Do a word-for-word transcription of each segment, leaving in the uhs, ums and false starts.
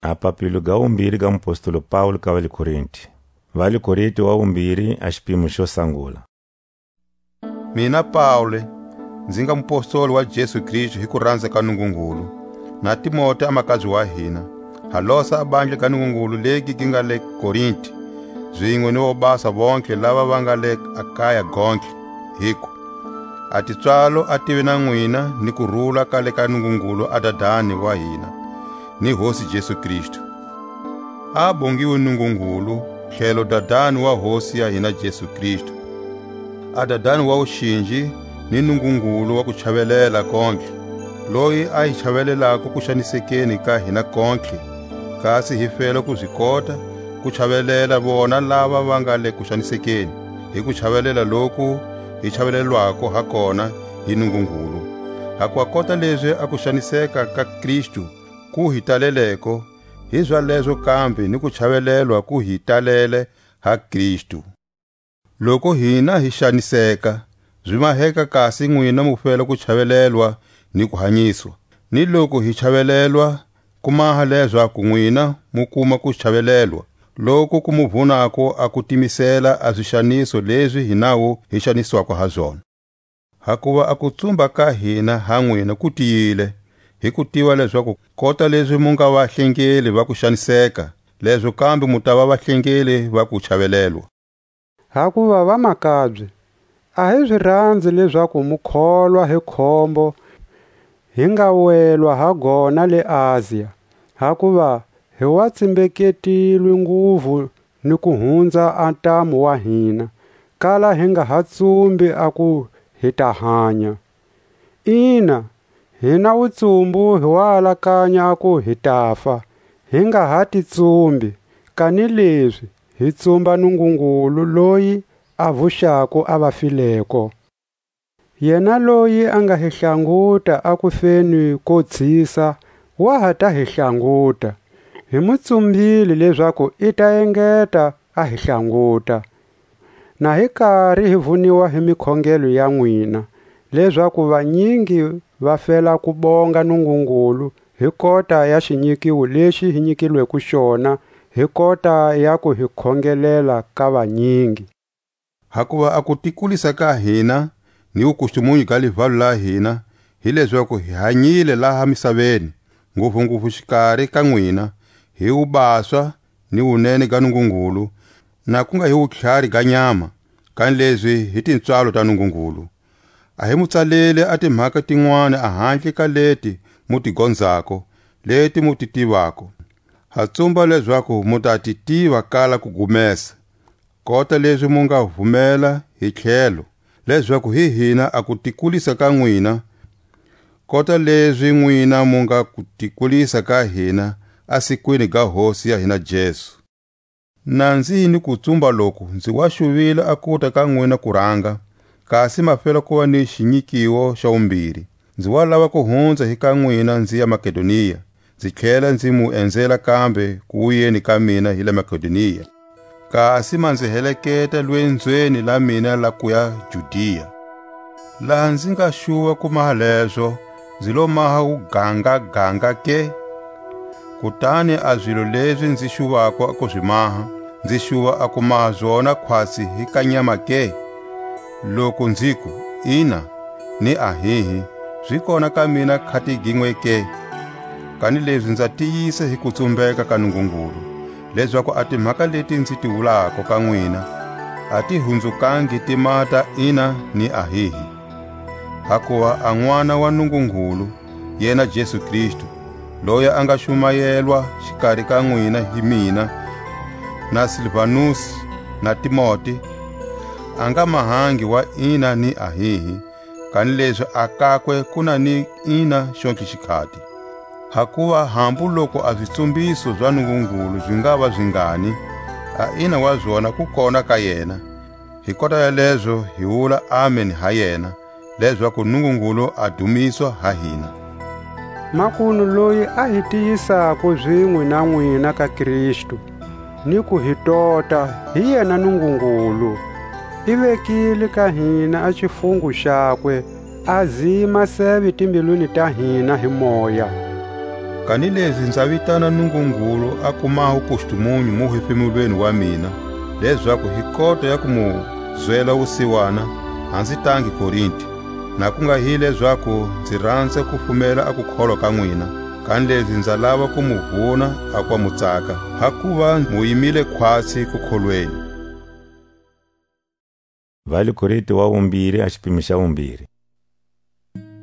A papilo ga wumbiri ga mupostolo Paule ka va le Korinti. Va le Korinti wa wumbiri, a xipimo xo sangula. Mina Paule, nzi nga mupostoli wa Jesu Kristu hi kuranza ka Nungungulu, na Timote a makabye wa hina, ha losa a bandla ga Nungungulu legi gi nga le Korinti, zinwe ni vobasa vontlhe lava va nga le Akaya gontlhe. Hiku, a tipswalo a tive na nwina ni kurula ka le ka Nungungulu a Dadani wa hina, ni Hosi Jesu Kristu. A bongiwe Nungungulu, tlhelo Dadani wa Hosi ya hina Jesu Kristu. A Dadani wa wuxinji ni Nungungulu wa kuchavelela kontlhe, loyi a hi chavelelako kuxanisekeni ka hina kontlhe, kasi hi fela ku zi kota ku chavelela vona lava va nga le kuxanisekeni, hi kuchavelela loku hi chavelelwako ha kona hi Nungungulu. Hakuva kota lezi a kuxaniseka ka Kristu ku hi taleleko, hizalezo kambe ni kuchavelelwa ku hi talele ha Kristu. Loku hina hi xaniseka, zi maheka kasi nwina mu fela kuchavelelwa ni kuhanyiswa. Ni loku hi chavelelwa, ku maha lezaku nwina mu kuma kuchavelelwa, loku ku mu vunako a kutimisela a zixaniso lezi hi nawu hi xaniswako ha zona. Hakuva a kutsumba ka hina ha nwina ku tiyile, hi kutiva lezaku kota lezi mu nga vahlengeli va kuxaniseka, lezo kambe mu tava vahlengeli va kuchavelelwa. Hakuva vamakabye, a hi zi ranzi lezaku mu kholwa hi khombo hi nga welwa ha gona le Asia, hakuva hi wa tsimbeketilwe nguvu ni ku hunza a ntamu wa hina, kala hi nga ha tsumbi a ku hi ta hanya. Ina, hina wutsumbu hi wa alakanya a ku hi tafa, hi nga ha ti tsumbi, kanilezi hi tsumba Nungungulu loyi a vuxako a vafileko. Yena loyi a nga hi hlanguta a kufeni ko tshisa, wa ha ta hi hlanguta. Hi mu tsumbile lezaku i ta engeta a hi hlanguta. Na hi kari hi vuniwa hi mikhongelo ya nwina, lezaku vanyingi va fela ku bonga Nungungulu hi kota ya xinyikiwo lexi hi nyikilweko xona hi kota ya ku hi khongelela ka vanyingi. Hakuva a kutikulisa ka hina ni wukustumunyu ga livalo la hina, hi lezaku hi hanyile laha misaveni, nguvunguvu xikari ka nwina, hi wubaswa ni wunene ga Nungungulu, na ku nga hi wutlhari ga nyama, kanilezi hi tipswalo ta Nungungulu. A hi mu tsaleli a timhaka tinwani ahandle ka leti mu ti gonzako, leti mu ti tivako. Ha tsumba lezaku mu ta ti tiva kala ku gumesa, kota lezi mu nga vumela hi tlhelo, lezaku hi hina a kutikulisa ka nwina, kota lezi nwina mu nga kutikulisa ka hina a sikwini ga Hosi ya hina Jesu. Na nzi hi ni kutsumba loku nzi wa xuvile a kuta ka nwina kuranga, kasi ma fela kuva ni xinyikiwo xa wumbiri. Nzi wa lava ku hunza hi ka nwina nzi ya Makedonia, nzi tlhela nzi mu enzela kambe ku wuyeni ka mina hi le Makedonia. Kasi ma nzi heleketa lwenzweni la mina la kuya Judia. Laha nzi nga xuva ku maha lezo, nzi lo maha wugangaganga ke? Kutani a zilo lezi nzi xuvako ku zi maha, nzi xuva a ku maha zona khwatsi hi ka nyama ke? Loku nziku, ina, ni ahihi, zi kona ka mina khati ginwe ke? Kanilezi nza tiyisa hi kutsumbeka ka Nungungulu, lezaku a timhaka leti nzi ti wulako ka nwina, a ti hunzukangi ti mata ina ni ahihi. Hakuva a N'wana wa Nungungulu, yena Jesu Kristu, loyi a nga xumayelwa xikari ka nwina hi mina, na Silvanusi, na Timote, a nga mahangi wa ina ni ahihi, kanilezi a kakwe ku na ni ina xontlhe xikhati. Hakuva hambu loku a zitsumbiso za Nungungulu zi ngava zingani, a ina wa zona ku kona ka yena. Hi kota ya lezo hi wula Amen ha yena, lezaku Nungungulu a dumiswa ha hina. Makunu loyi a hi tiyisako zinwe na nwina ka Kristu, ni ku hi tota, hi yena Nungungulu. I vekile ka hina a xifungo xakwe, a zima seve timbilwini ta hina hi moya. Kanilezi nza vitana Nungungulu a kumaho kustumunyu muhefemulweni wa mina, lezaku hi kota ya ku mu zwela wusiwana, a nzi tangi Korinti, na ku nga hi lezaku nzi ranza ku fumela a kukholwa ka nwina, kanilezi nza lava ku mu vuna a kwa mu tsaka, hakuva mu yimile khwatsi kukholweni. Va le Korinto wa vumbiri, a xipimo xa vumbiri.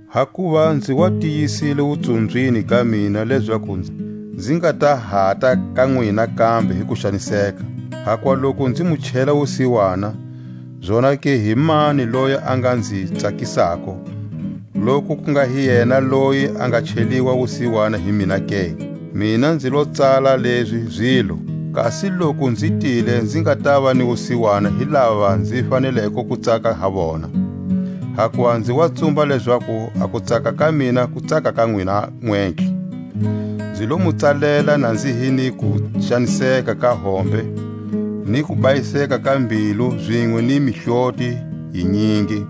Hakuva nzi wa tiyisile wutsumbyini ka mina lezaku nzi, nzi nga ta hata ka nwina kambe hi ku xaniseka. Hakuva loku nzi mu chela wusiwana, zonake hi mani loyi a nga nzi tsakisako, loku ku nga hi yena loyi a nga cheliwa wusiwana hi mina ke? Mina nzi lo tsala lezi zilo, kasi loku nzi tile nzi nga tava ni wusiwana hi lava nzi faneleko ku tsaka ha vona. Hakuva nzi wa tsumba lezaku a kutsaka ka mina ku tsaka ka nwina nwentlhe. Nzi lo mu tsalela na nzi hi ni ku xaniseka ka hombe, ni ku bayiseka ka mbilu zinwe ni mihloti yinyingi,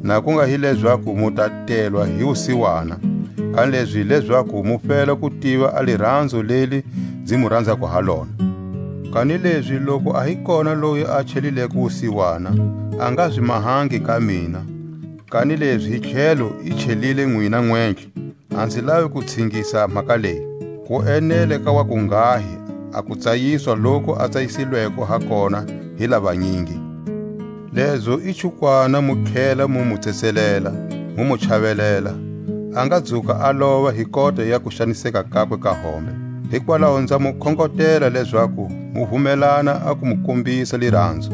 na ku nga hi lezaku mu ta telwa hi wusiwana, kanilezi lezaku mu fela ku tiva a liranzo leli nzi mu ranzako ha lona. Kanilezi loku a hi kona loyi a chelileko wusiwana, a nga zi mahangi ka mina, kanilezi hi tlhelo i chelile nwina nwentlhe. A nzi lavi ku tshingisa mhaka leyi. Ku enele ka wa kunghahi a kutsayiswa loku a tsayisilweko ha kona hi lavanyingi. Lezo i chukwana mu tlhela mu mu tsetselela, mu mu chavelela, a nga dzuka a lova hi kota ya kuxaniseka kakwe ka hombe. Hikwalaho nza mu khongotela lezaku mu vumelana a ku mu kombisa liranzo.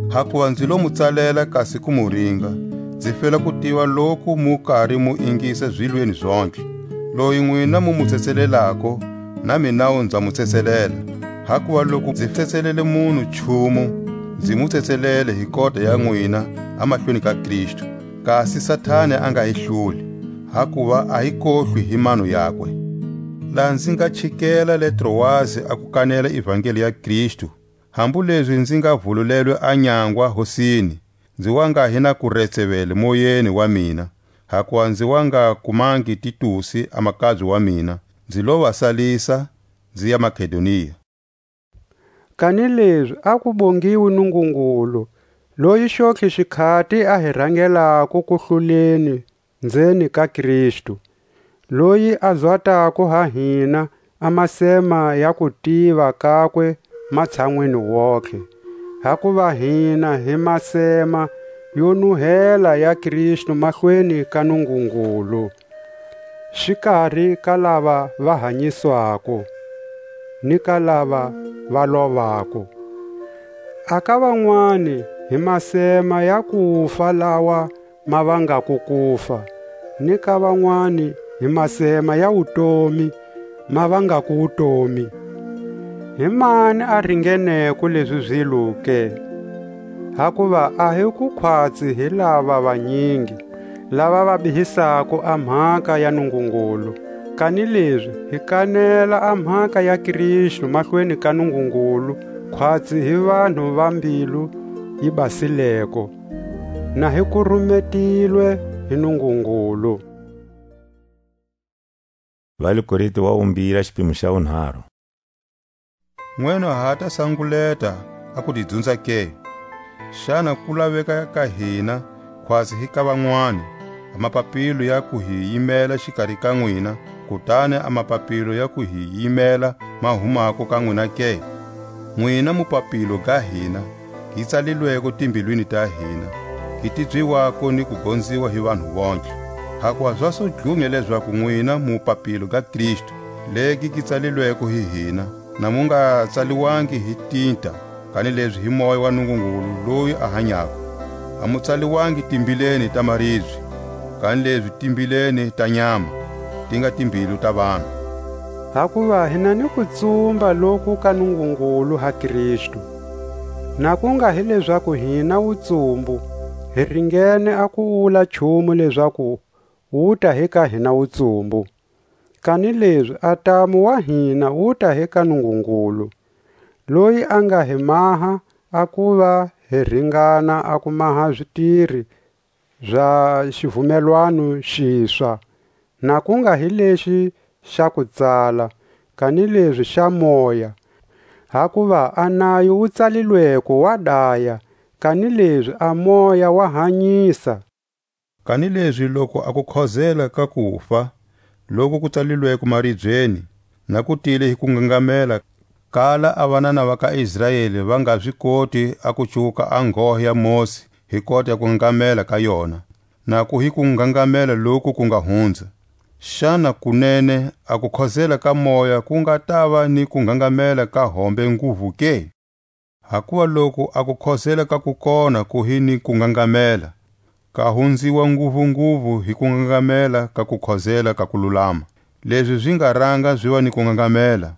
Hakuva nzi lo mu tsalela kasi ku mu ringa, nzi fela ku tiva loku mu kari mu ingisa zilweni zontlhe. Loyi nwina mu mu tsetselelako, na minawu nza mu tsetselela. Hakuva loku nzi tsetselele munhu nchumu, nzi mu tsetselele hi kota ya nwina a mahlweni ka Kristu, kasi Satani a nga hi hluli, hakuva a hi kohlwi hi mano yakwe. Laha nzi nga chikela le Troasi a ku kanela ivangeli ya Kristu, hambu lezi nzi nga vululelwe a nyangwa Hosini, nzi wa nga hi na kuretsevele moyeni wa mina, hakuva nzi wa nga kumangi Titusi a makabye wa mina, nzi lo va salisa, nzi ya Makedonia. Kanilezi a ku bongiwi Nungungulu, loyi xontlhe xikhati a hi rangelako kuhluleni nzeni ka Kristu, loyi a zwatako ha hina a masema ya kutiva kakwe matshanwini wontlhe. Hakuva hina hi masema yo nuhela ya Kristu mahlweni ka Nungungulu, xikari ka lava va hanyiswako, ni ka lava va lovako. A ka van'wani hi masema ya kufa lawa ma vangako kufa, ni ka van'wani hi masema ya wutomi ma vangako wutomi. Hi mani a ringeneko lezi zilo ke? Hakuva a hi ku khwatsi hi lava vanyingi, lava va bihisako a mhaka ya Nungungulu, kanilezi hi kanela a mhaka ya Kristu mahlweni ka Nungungulu, khwatsi hi vanhu va mbilu yi basileko, na hi kurumetilwe hi Nungungulu. Va le Korinto wa vumbiri, a xipimo xa vunharhu. Nwena ha ta sanguleta a ku ti dzunza ke? Xana ku laveka ka hina, khwatsi hi ka van'wani, a mapapilo ya ku hi yimela xikari ka nwina, kutani a mapapilo ya ku hi yimela ma humako ka nwina ke? Nwina mupapilo ga hina, gi tsalilweko timbilwini ta hina, gi tibyiwako ni ku gonziwa hi vanhu vontlhe. Hakuva za su dlunya lezaku nwina mu papilo ga Kristu, legi gi tsalilweko hi hina, na mu nga tsaliwangi hi tinta, kanilezi hi Moya wa Nungungulu loyi a hanyako. A mu tsaliwangi timbileni ta maribye, kanilezi timbileni ta nyama, ti nga timbilu ta vanhu. Hakuva hi na ni kutsumba loku ka Nungungulu ha Kristu, na ku nga hi lezaku hina wutsumbu, hi ringene a ku wula nchumu lezaku wu ta hi ka hina wutsumbu. Kanilezi a ntamu wa hina wu ta hi ka Nungungulu, loyi a nga hi maha a kuva hi ringana a ku maha zitiri za xivumelwano xiswa, na ku nga hi lexi xa ku tsala, kanilezi xa moya. Hakuva a nayo wu tsalilweko wa daya, kanilezi a moya wa hanyisa. Kanilezi loku a kukhozela ka kufa, loku ku tsalilweko maribyeni, na ku tile hi kungangamela, kala a vanana va ka Israeli va nga zi koti a ku cuwuka a nghohe ya Mosi hi kota ya kungangamela ka yona, naku hi kungangamela loku ku nga hunza. Xana kunene a kukhozela ka moya ku nga tava ni kungangamela ka hombe nguvu ke? Hakuva loku a kukhozela ka kukona ku hi ni kungangamela, ka hunziwa nguvu-nguvu hi kungangamela ka kukhozela ka kululama, lezi zi nga ranga zi va ni kungangamela.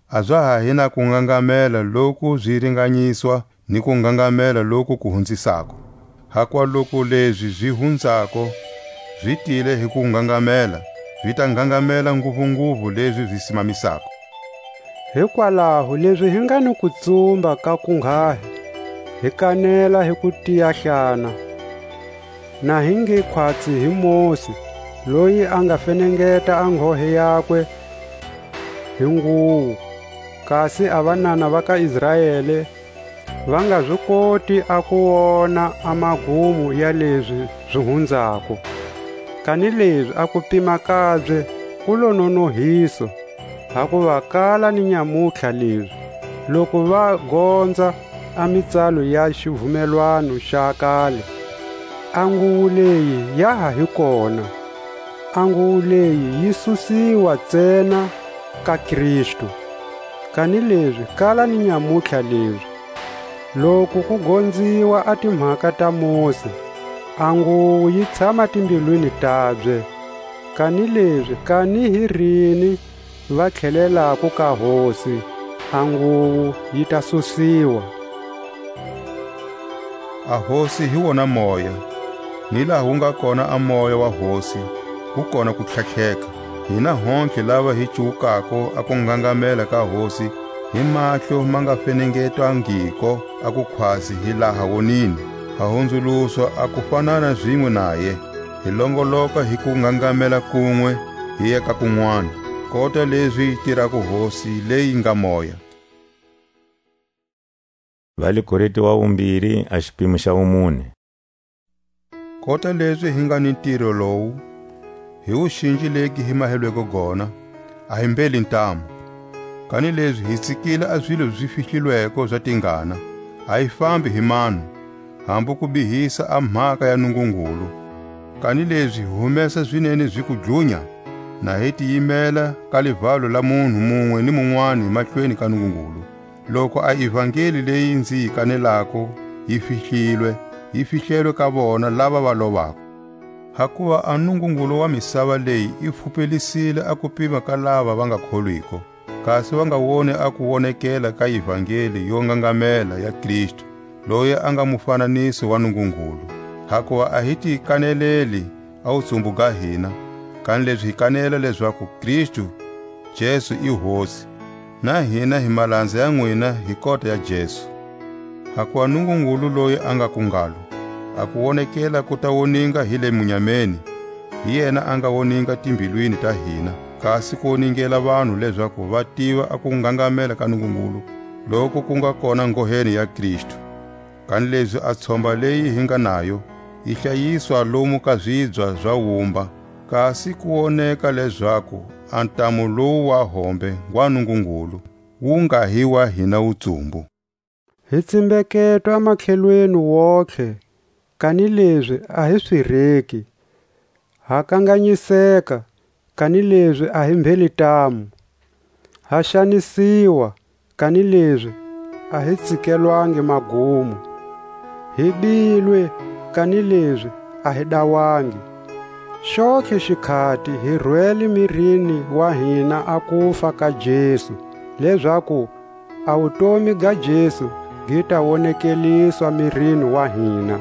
A za ha hi na kungangamela loku zi ringanyiswa ni kungangamela loku ku hunzisako. Hakuva loku lezi zi hunzako zi tile hi kungangamela, zi ta ngangamela nguvu-nguvu lezi zi simamisako. Hikwalaho lezi hi nga ni kutsumba ka kunghahi, hi kanela hi kutiyahlana, na hi nge khwatsi hi Mosi, loyi a nga fenengeta a nghohe yakwe hi nguwu, kasi a vanana va ka Israele va nga zi koti a ku wona a magumo ya lezi zi hunzako. Kanilezi a kupima kabye ku lo nonohiso, hakuva kala ni nyamutlha lezi, loku va gonza a mitsalo ya xivumelwano xa kale, a nguwo leyi ya ha hi kona. A nguwo leyi yi susiwa ntsena ka Kristu. Kanilezi kala ni nyamutlha lezi, loku ku gonziwa a timhaka ta Mosi, a nguwo yi tshama timbilwini tabye. Kanilezi kani hi rini va tlhelelako ka Hosi, a nguwo yi ta susiwa. A Hosi hi wona Moya, ni laha wu nga kona a Moya wa Hosi, ku kona ku tlhatlheka. Hina hontlhe lava hi cuwukako a ku ngangamela ka Hosi hi mahlo ma nga fenengetangiko a kukhwatsi hi laha wonini, ha hunzuluswa a ku fanana zinwe naye, hi longoloka hi ku ngangamela kunwe, hi ya ka kunwana, kota lezi tirako Hosi leyi nga Moya. Va le Korinte wa vumbirhi, a xipimo xa vumune. Kota lezi hi nga ni ntiro lowu, hi wuxinji legi hi mahelweko gona, a hi mbheli ntamu. Kanilezi hi tsikile a zilo zi fihlilweko za tingana, a hi fambi hi manu, hambu ku bihisa a mhaka ya Nungungulu. Kanilezi hi humesa zinene zi ku dlunya, na hi tiyimela ka livalo la munhu munwe ni munwani mahlweni ka Nungungulu. Loku a ivangeli leyi nzi yi kanelako yi fihlilwe, yi fihlelwe ka vona lava va lovako. Hakuva a Nungungulu wa misava leyi i pfupelisile a kupima ka lava va nga kholwiko, kasi va nga woni a kuwonekela ka ivangeli yo ngangamela ya Kristu, loyi a nga mufananiso wa Nungungulu. Hakuva a hi ti kaneleli a wutsumbu ga hina, kanilezi hi kanela lezaku Kristu Jesu i Hosi, na hina hi malanza ya nwina hi kota ya Jesu. Hakuva Nungungulu loyi a nga ku ngalo, a kuwonekela ku ta woninga hi le munyameni, hi yena a nga woninga timbilwini ta hina, kasi ku woningela vanhu lezaku va tiva a kungangamela ka Nungungulu, loku ku nga kona ngoheni ya Kristu. Kanilezi a tshomba leyi hi nga nayo, yi hlayiswa lomu ka zibya za wumba, kasi ku woneka lezaku a ntamu lowu wa hombe ngwa Nungungulu, wu nga hi wa hina wutsumbu. Hi tsimbeketwa matlhelweni wontlhe, kanilezi a hi swirheki. Ha kanganyiseka, kanilezi a hi mbheli ntamu. Ha xanisiwa, kanilezi a hi tsikelwangi magumo. Hi bilwe, kanilezi a hi dawangi. Xontlhe xikhati hi rwele mirini wa hina a kufa ka Jesu, lezaku a wutomi ga Jesu gi ta wonekeliswa mirini wa hina.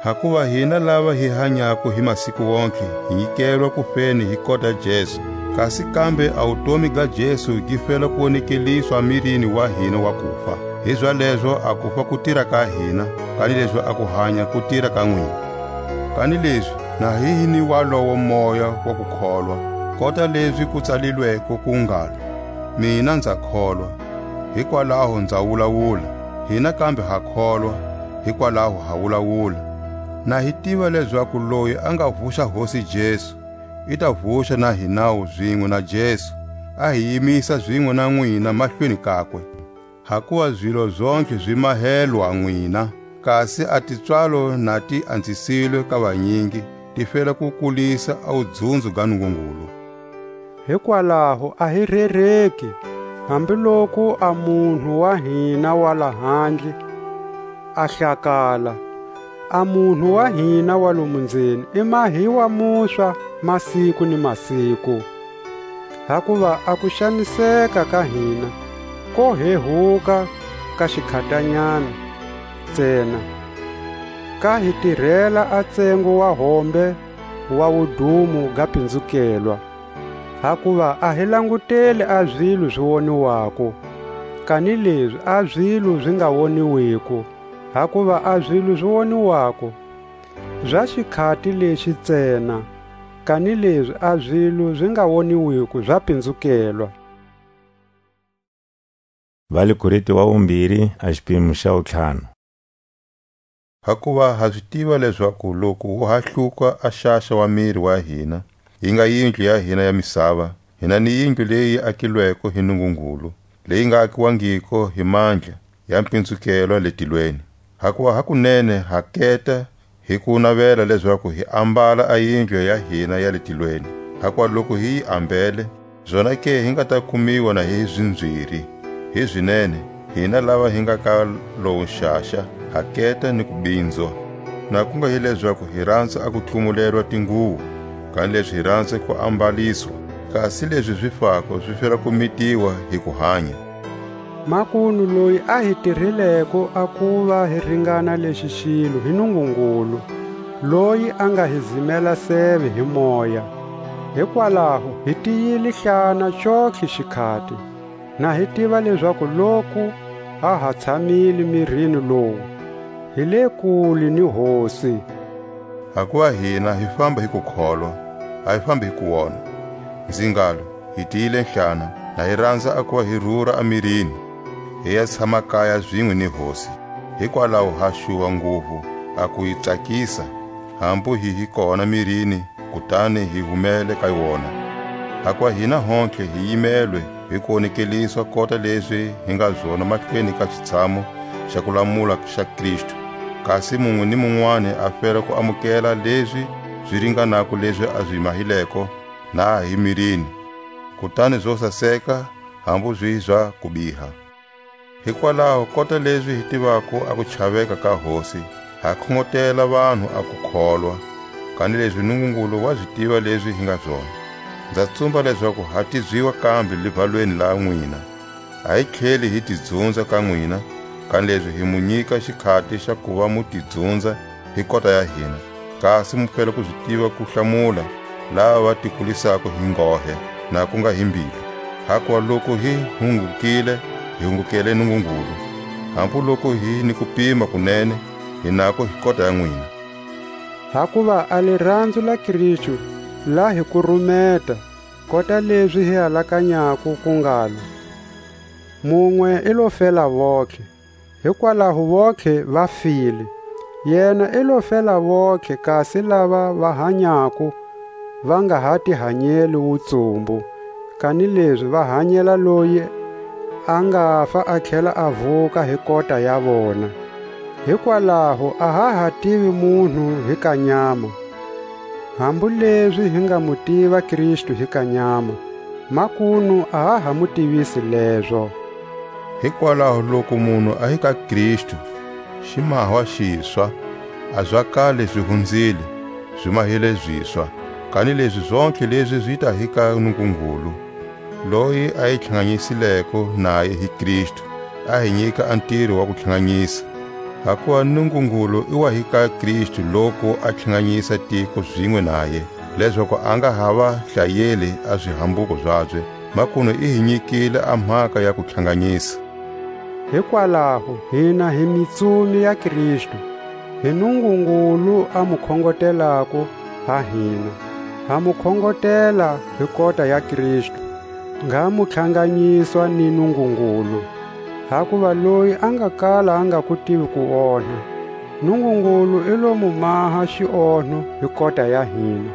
Hakuva hina lava hi hanyako hi masiku wontlhe, hi nyikelwa kufeni hi kota Jesu, kasi kambe a wutomi ga Jesu gi fela ku wonekeliswa mirini wa hina wa kufa. Hizalezo a kufa ku tira ka hina, kanilezi a kuhanya ku tira ka nwina. Kanilezi na hi hi ni walowo moya wa kukholwa, Kota lezi ku tsalilweko ku ngalo: Mina nza kholwa, hikwalaho nza wulawula; hina kambe ha kholwa, hikwalaho ha wulawula. Na hi tiva lezaku loyi a nga vuxa Hosi Jesu, i ta vuxa na hinawu zinwe na Jesu, a hi yimisa zinwe na nwina mahlweni kakwe. Hakuva zilo zontlhe zi mahelwa nwina, kasi a tipswalo na ti anzisilwe ka vanyingi, ti fela ku kulisa a wudzunzo ga Nungungulu. Hikwalaho a hi rereki, hambiloku a munhu wa hina wa lahandle a hlakala, a munhu wa hina wa lomu nzeni i mahiwa muswa masiku ni masiku. Hakuva a kuxaniseka ka hina ko hehuka ka xikhatanyana ntsena, ka hi tirela a tsengo wa hombe wa wudumo ga pinzukelwa. Hakuva a hi languteli a zilo zi woniwako, kanilezi a zilo zi nga woniwiko. Hakuva a zilo zi woniwako za xikhati lexi ntsena, kanilezi a zilo zi nga woniwiko za pinzukelwa. Va le Korinte wa vumbiri, a xipimo xa wutlhanu. Hakuva ha zi tiva lezaku loku wu ha hluka a xaxa wa miri wa hina, yi nga yindlu ya hina ya misava, hina ni yindlu leyi akilweko hi Nungungulu, leyi nga akiwangiko hi mandla ya mpinzukelwa le tilweni. Hakuva hakunene ha keta hi ku navela lezaku hi ambala a yindlu ya hina ya le tilweni. Hakuva loku hi yi ambele, zonake hi nga ta kumiwa na hi zinzwiri, hi zinene, hina lava hi nga ka lowu nxaxa, ha keta ni kubinzwa. Na ku nga hi lezaku hi ranza a ku tlumulelwa tinguwo, kanilezi hi ranza ku ambaliswa, kasi lezi zi fako zi fela ku mitiwa hi kuhanya. Makunu loyi a hi tirhileko a kuva hi ringana lexi xilo hi Nungungulu, loyi a nga hi zimela seve hi moya. Hikwalaho hi tiyile hlana xontlhe xikhati, na hi tiva lezaku loku ha ha tshamile mirini lowu, hi le kule ni Hosi. Hakuva hina hi famba hi kukholwa, a hi fambi hi kuwona. Nzi ngalo, hi tiyile nhlana, na hi ranza a kuva hi rura a mirini, hi ya tshama kaya zinwe ni Hosi. Hikwalaho ha xuva nguvu a ku yi tsakisa, hambu hi hi kona mirini, kutani hi humele ka wona. Hakuva hina hontlhe hi yimelwe hi ku wonekeliswa kota lezi hi nga zona mahlweni ka xitshamu xa kulamula xa Kristu. Kasi munwe ni munwani a fela ku amukela lezi zi ringanako lezi a zi mahileko, na ha hi mirini, kutani zo saseka, hambu zi za kubiha. Hikwalaho kota lezi hi tivako a kuchaveka ka Hosi, ha khongotela vanhu a kukholwa, kanilezi Nungungulu wa zi tiva lezi hi nga zona. Nza tsumba lezaku ha tizwiwa kambe livalweni la nwina. A hi tlheli hi tidzunza ka nwina, kanilezi hi mu nyika xikhati xa kuva mu tidzunza hi kota ya hina, kasi mu fela ku zi tiva ku hlamula lava va tikulisako hi nghohe, na ku nga hi mbilu. Hakuva loku hi hungukile, hi hungukele Nungungulu, hambu loku hi ni kupima kunene, hi nako hi kota ya nwina. Hakuva a liranzu la Kristu la hi kurumeta, kota lezi hi alakanyako ku ngalo: Munwe i lo fela vontlhe, hikwalaho vontlhe va file. Yena i lo fela vontlhe, kasi lava va hanyako va nga ha ti hanyeli wutsumbu, kanilezi va hanyela loyi a nga fa a tlhela a vuka hi kota ya vona. Hikwalaho a ha ha tivi munhu hi ka nyama, hambu lezi hi nga mu tiva Kristu hi ka nyama, makunu a ha ha mu tivisi lezo. Hikwalaho loku munhu a hi ka Kristu, xi mahwa xiswa, a za kale zi hunzile, zi mahile ziswa. Kanilezi zontlhe lezi zi ta hi ka Nungungulu, loyi a hi tlhanganyisileko naye hi Kristu, a hi nyika a ntiro wa kutlhanganisa. Hakuva Nungungulu i wa hi ka Kristu loku a tlhanganisa tiko zinwe naye, lezaku a nga ha va hlayeli a zihambuko zabye, makunu i hi nyikile a mhaka ya kutlhanganisa. Hikwalaho hina hi mitsumi ya Kristu, hi Nungungulu a mu khongotelako ha hina. Ha mu khongotela hi kota ya Kristu, ngha mu tlhanganyiswa ni Nungungulu. Hakuva loyi a nga kala a nga ku tivi ku onha, Nungungulu i lo mu maha xionho hi kota ya hina,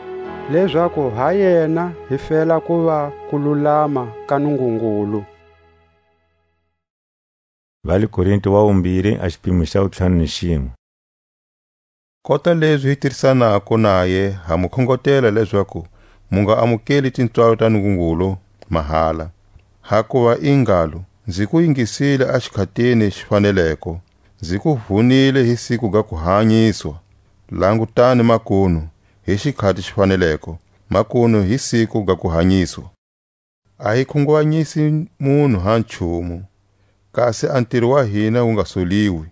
lezaku ha yena hi fela ku va ku lulama ka Nungungulu. Va le Korinto wa vumbiri, a xipimo xa wutlhanu ni xinwe. Kota lezi hi tirisanako naye, ha mu khongotela lezaku mu nga amukeli tintswalo ta Nungungulu mahala. Hakuva i ngalo, nzi ku yingisile a xikhatini xi faneleko, nzi ku vunile hi siku ga ku hanyiswa. Langutani makunu, hi xikhati xi faneleko, makunu hi siku ga ku hanyiswa. A hi khunguvanyisi munhu ha nchumu, kasi a ntiro wa hina wu nga soliwi.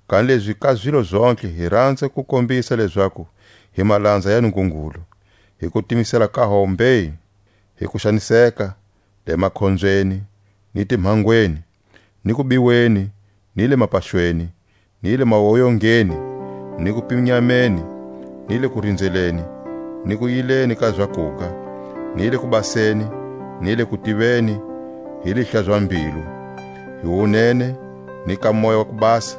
Kanilezi ka zilo zontlhe hi ranza ku kombisa lezaku hi malanza ya Nungungulu, hi kutimisela ka hombe, hi kuxaniseka, le makhonzweni, ni timhangweni, ni kubiweni, ni le mapaxweni, ni le mawoyongeni, ni kupinyameni, ni le kurindzeleni, ni kuyileni ka zakuga, ni le kubaseni, ni le kutiveni, hi lihla za mbilu, hi wunene, ni ka moya wa kubasa,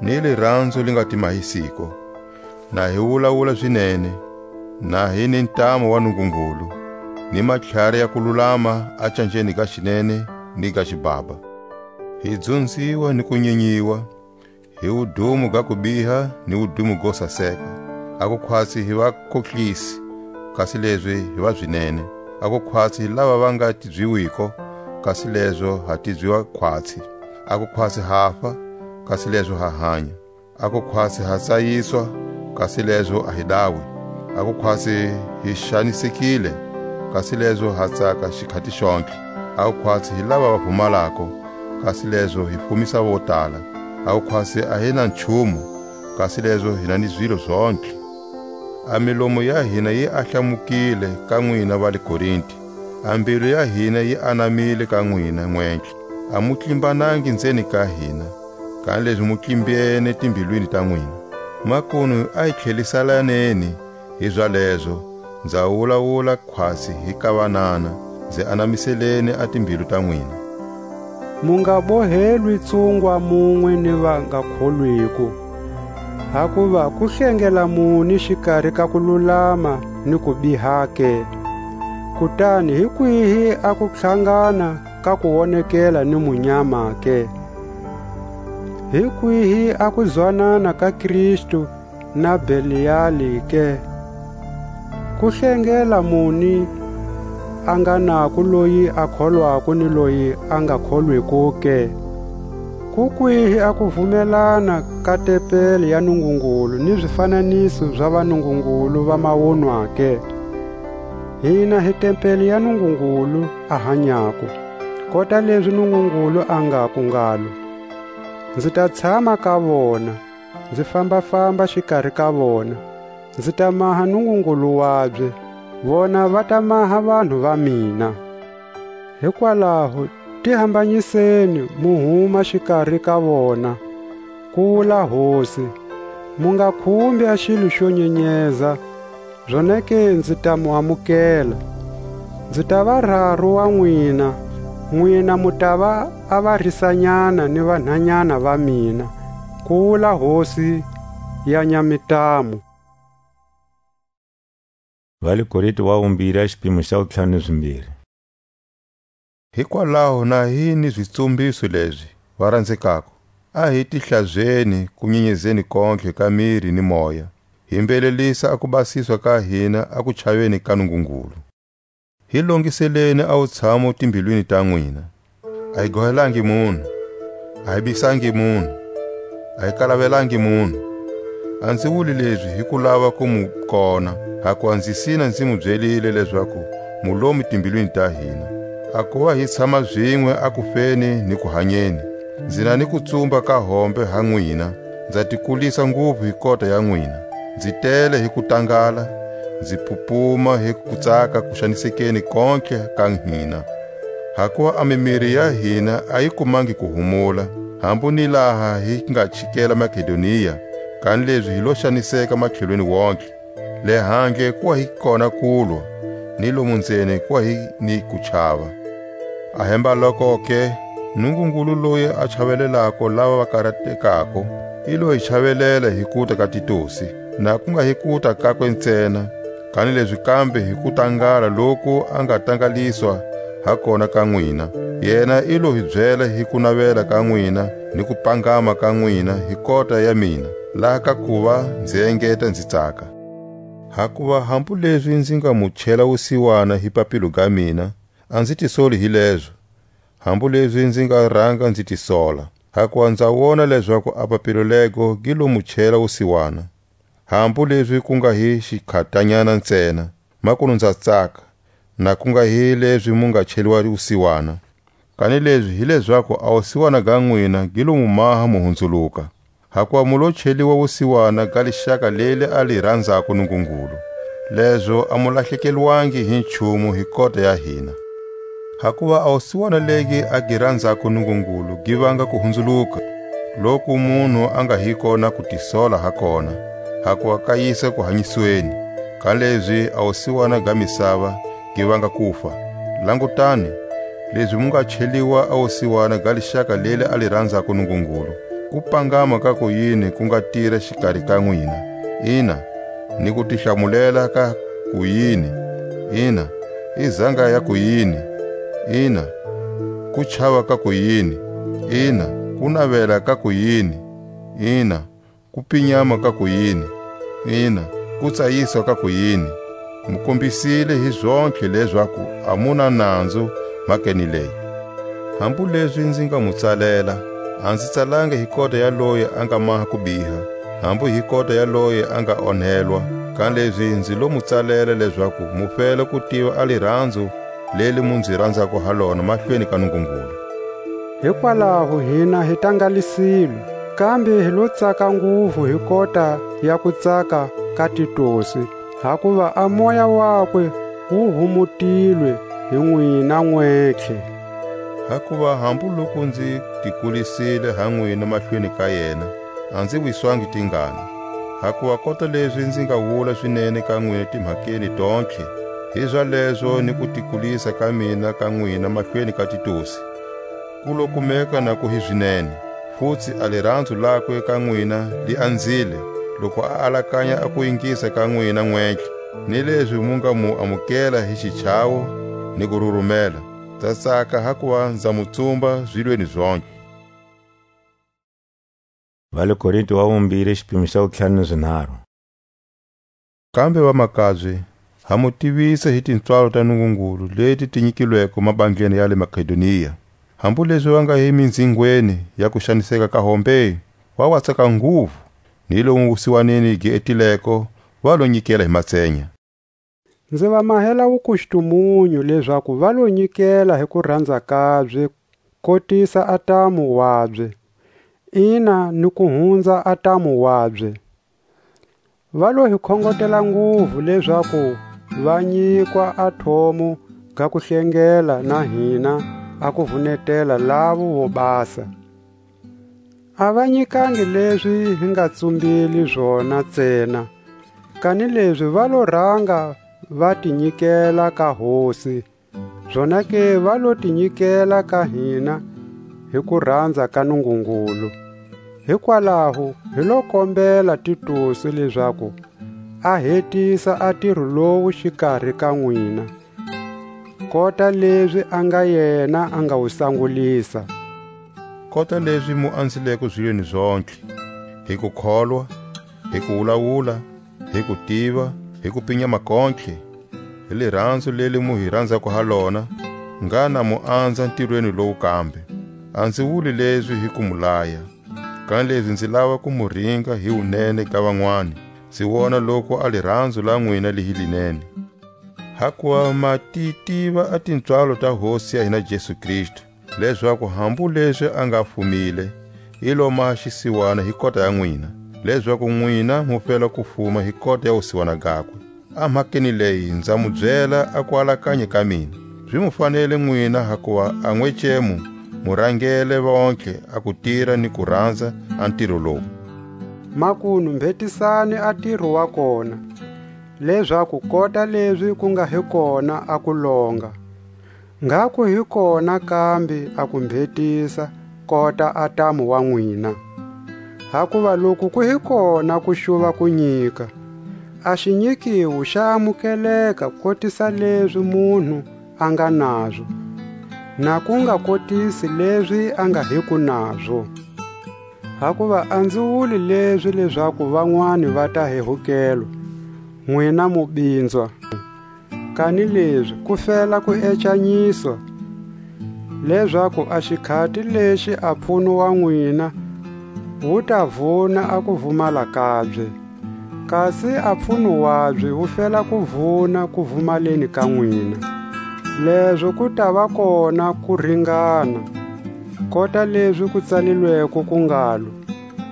ni liranzo li nga timahisiko. Na hi wulawula zinene, na hi ni ntamu wa Nungungulu, ni matlhari ya kululama a canjeni ga xinene ni ga xibaba. Hi dzunziwa ni ku nyinyiwa, hi wudumo ga kubiha ni wudumo go saseka, a ku khwatsi hi vakohlisi, kasi lezi hi vazinene, a ku khwatsi hi lava va nga tibyiwiko, kasi lezo ha tibyiwa khwatsi, a ku khwatsi hafa, kasi lezo ha hanya. A ku khwatsi ha tsayiswa, kasi lezo a hi dawi. A ku khwatsi hi xanisekile, kasi lezo ha tsaka xikhati xontlhe. A ku khwatsi hi lava va pfumalako, kasi lezo hi fumisa vo tala. A ku khwatsi a hi na nchumu, kasi lezo hi na ni zilo zontlhe. A milomo ya hina yi ahlamukile ka nwina va le Korinti, a mbilu ya hina yi anamile ka nwina nwentlhe. A mu tlimbanangi nzeni ka hina, kanilezi mu tlimbene timbilwini ta nwina. Makunu a hi tlhelisalaneni hi zalezo, nza wulawula khwatsi hi ka vanana, nzi anamiseleni a timbilu ta nwina. Mu nga bohelwi tsungwa munwe ni va nga kholwiko, hakuva ku hlengela muni xikari ka kululama ni kubiha ke? Kutani hi kwihi a kutlhangana ka kuwonekela ni munyama ke? Hi kwihi a kuzwanana ka Kristu na Beliali ke? Ku hlengela muni a nga nako loyi a kholwako ni loyi a nga kholwiko ke? Ku kwihi a kuvumelana ka tempeli ya Nungungulu ni zifananiso za vanungungulu va mawunwa ke? Hina hi tempeli ya Nungungulu a hanyako, kota lezi Nungungulu a ngaku ngalo: Nzi ta tshama ka vona, nzi famba-famba xikari ka vona, nzi ta maha Nungungulu wabye, vona va ta maha vanhu va mina. Hikwalaho, ti hambanyiseni, mu huma xikari ka vona, ku wula Hosi. Mu nga khumbi a xilo xo nyenyeza, zonake nzi ta mu amukela. Nzi ta va raru wa nwina, nwina mu ta va a varisanyana ni vanhanyana va mina, ku wula Hosi ya nyamitamu. Va le Korinto wa vumbiri, a xipimo xa wutlhanu ni zimbiri. Hikwalaho na hi ni zitsumbiso lezi, va ranzekako, a hi ti hlazeni ku nyenyezeni kontlhe ka miri ni moya, hi mbelelisa a kubasiswa ka hina a kuchaveni ka Nungungulu. Hi longiseleni a wutshamo timbilwini ta nwina. A hi gohelangi munhu, a hi bisangi munhu, a hi kalavelangi munhu. A nzi wuli lezi hi ku lava ku mu kona, hakuva nzi sina nzi mu byelile lezaku mu lomi timbilwini ta hina. A kuva hi tshama zinwe a kufeni ni ku hanyeni, nzi na ni kutsumba ka hombe ha nwina, nza ti kulisa nguvu hi kota ya nwina. Nzi tele hi kutangala, nzi pupuma hi kutsaka kuxanisekeni kontlhe ka hina. Hakuva a mimiri ya hina a yi kumangi kuhumula, hambu ni laha hi nga chikela Makedonia, kanilezi hi lo xaniseka matlhelweni wontlhe. Le handle ku wa hi kona kulwa, ni lomu nzeni ku wa hi ni ku chava. A hemba lokoke, Nungungulu loyi a chavelelako lava va karatekako, i lo hi chavelela hi kuta ka Titusi, na ku nga hi kuta kakwe ntsena, kanilezi kambe hi kutangala loku a nga tangaliswa ha kona ka nwina. Yena i lo hi byela hi kunavela ka nwina ni kupangama ka nwina hi kota ya mina, laha ka kuva nzi engeta nzi tsaka. Hakuva hambu lezi nzi nga mu chela wusiwana hi papilo ga mina, a nzi tisoli hi lezo, hambu lezi nzi nga ranga nzi tisola. Hakuva nza wona lezaku a papilo lego gi lo mu chela wusiwana, hambu lezi ku nga hi xikhatanyana ntsena, makunu nza tsaka, na ku nga hi lezi mu nga cheliwa wusiwana. Kanilezi hi lezaku a wusiwana ga nwina gi lo mu maha mu hunzuluka, hakuva mu lo cheliwa wusiwana ga lixaka leli a li ranzako Nungungulu, lezo a mu lahlekelwangi hi nchumu hi kota ya hina. Hakuva a wusiwana legi a gi ranzako Nungungulu gi vanga kuhunzuluka, loku munhu a nga hiko na kutisola ha kona, hakuva ka yisa kuhanyisweni, kanilezi a wusiwana ga misava gi vanga kufa. Langutani, lezi mu nga cheliwa a wusiwana ga lixaka leli a li ranzako Nungungulu, ku pangama ka kuyini ku nga tira xikari ka nwina? Ina, ni ku tihlamulela ka kuyini? Ina, i zanga ya kuyini? Ina, ku chava ka kuyini? Ina, ku navela ka kuyini? Ina, ku pinyama ka kuyini? Ina, ku tsayiswa ka kuyini? Mu kombisile hi zontlhe lezaku a mu na nanzu mhakeni leyi. Hambu lezi nzi nga mu tsalela, a nzi tsalanga hi kota ya loyi a nga maha kubiha, hambu hi kota ya loyi a nga onhelwa, kanilezi nzi lo mu tsalela lezaku mu fela ku tiva a liranzo leli mu nzi ranzako ha lona mahlweni ka Nungungulu. Hikwalaho hina hi tangalisilwe, kambe hi lo tsaka nguvu hi kota ya kutsaka ka Titusi, hakuva a moya wakwe wu humutilwe hi nwina nwentlhe. Hakuva hambu loku nzi tikulisile ha nwina mahlweni ka yena, a nzi wiswangi tingana. Hakuva kota lezi nzi nga wula zinene ka nwina timhakeni tontlhe, hizalezo ni kutikulisa ka mina ka nwina mahlweni ka Titusi, ku lo kumeka na ku hi zinene. Futsi a liranzo lakwe ka nwina li anzile, loku a alakanya a ku ingisa ka nwina nwentlhe, ni lezi mu nga mu amukela hi xichavo ni ku rurumela. Nza tsaka hakuva nza mu tsumba zilweni zontlhe. Va le Korinto wa vumbirhi, xipimo xa wutlhanu ni zinharhu. Kambe vamakabye, ha mu tivisa hi tintswalo ta Nungungulu leti ti nyikilweko mabandleni ya le Makedonia, hambu lezi va nga hi minzingweni ya ku xaniseka ka hombe, va wa tsaka nguvu, ni lomu wusiwaneni gi etileko, va lo nyikela hi matsenya. Nzi va mahela wukustumunyu lezaku va lo nyikela hi kuranza kabye, kotisa a tamu wabye, ina ni ku hunza a tamu wabye. Va lo hi khongotela nguvu lezaku va nyikwa a thomo ga kuhlengela na hina a kuvunetela lavo vobasa. A va nyikangi lezi hi nga tsumbili zona ntsena, kanilezi va lo ranga va ti nyikela ka Hosi, zonake va lo ti nyikela ka hina hi kuranza ka Nungungulu. Hikwalaho hi lo kombela Titusi lezaku a hetisa a tiro lowu xikari ka nwina, kota lezi a nga yena a nga wu sangulisa. Kota lezi mu anzileko zilweni zontlhe, hi kukholwa, hi kuwulawula, hi kutiva, hi kupinya makontlhe, hi liranzo leli mu hi ranzako ha lona, ngha na mu anza ntirweni lowu kambe. A nzi wuli lezi hi ku mu laya, kanilezi nzi lava ku mu ringa hi wunene ga vanwani, nzi wona loku a liranzo la nwina li hi linene. Hakuva ma ti tiva a tintswalo ta Hosi ya hina Jesu Kristu, lezaku hambu lezi a nga fumile, i lo maha xisiwana hi kota ya nwina, lezaku nwina mu fela ku fuma hi kota ya wusiwana gakwe. A mhakeni leyi nza mu byela a kualakanya ka mina. Zi mu fanele nwina, hakuva a nwecemu mu rangele vontlhe a ku tira ni ku ranza a ntiro lowu. Makunu mbhetisani a tiro wa kona, lezaku kota lezi ku nga hi kona a ku longa, ngha ku hi kona kambe a ku mbhetisa kota a ntamu wa nwina. Hakuva loku ku hi kona ku xuva ku nyika, a xinyikiwo xa amukeleka kotisa lezi munhu a nga nazo, na ku nga kotisi lezi a nga hiko nazo. Hakuva a nzi wuli lezi lezaku vanwani va ta hehukelwa, nwina mu binzwa. Kanilezi ku fela ku ecanyiswa, lezaku a xikhati lexi a pfuno wa nwina wu ta vuna a kuvumala kabye, kasi a pfuno wabye wu fela ku vuna kuvumaleni ka nwina. Lezo ku tava kona ku ringana, kota lezi ku tsalilweko ku ngalo: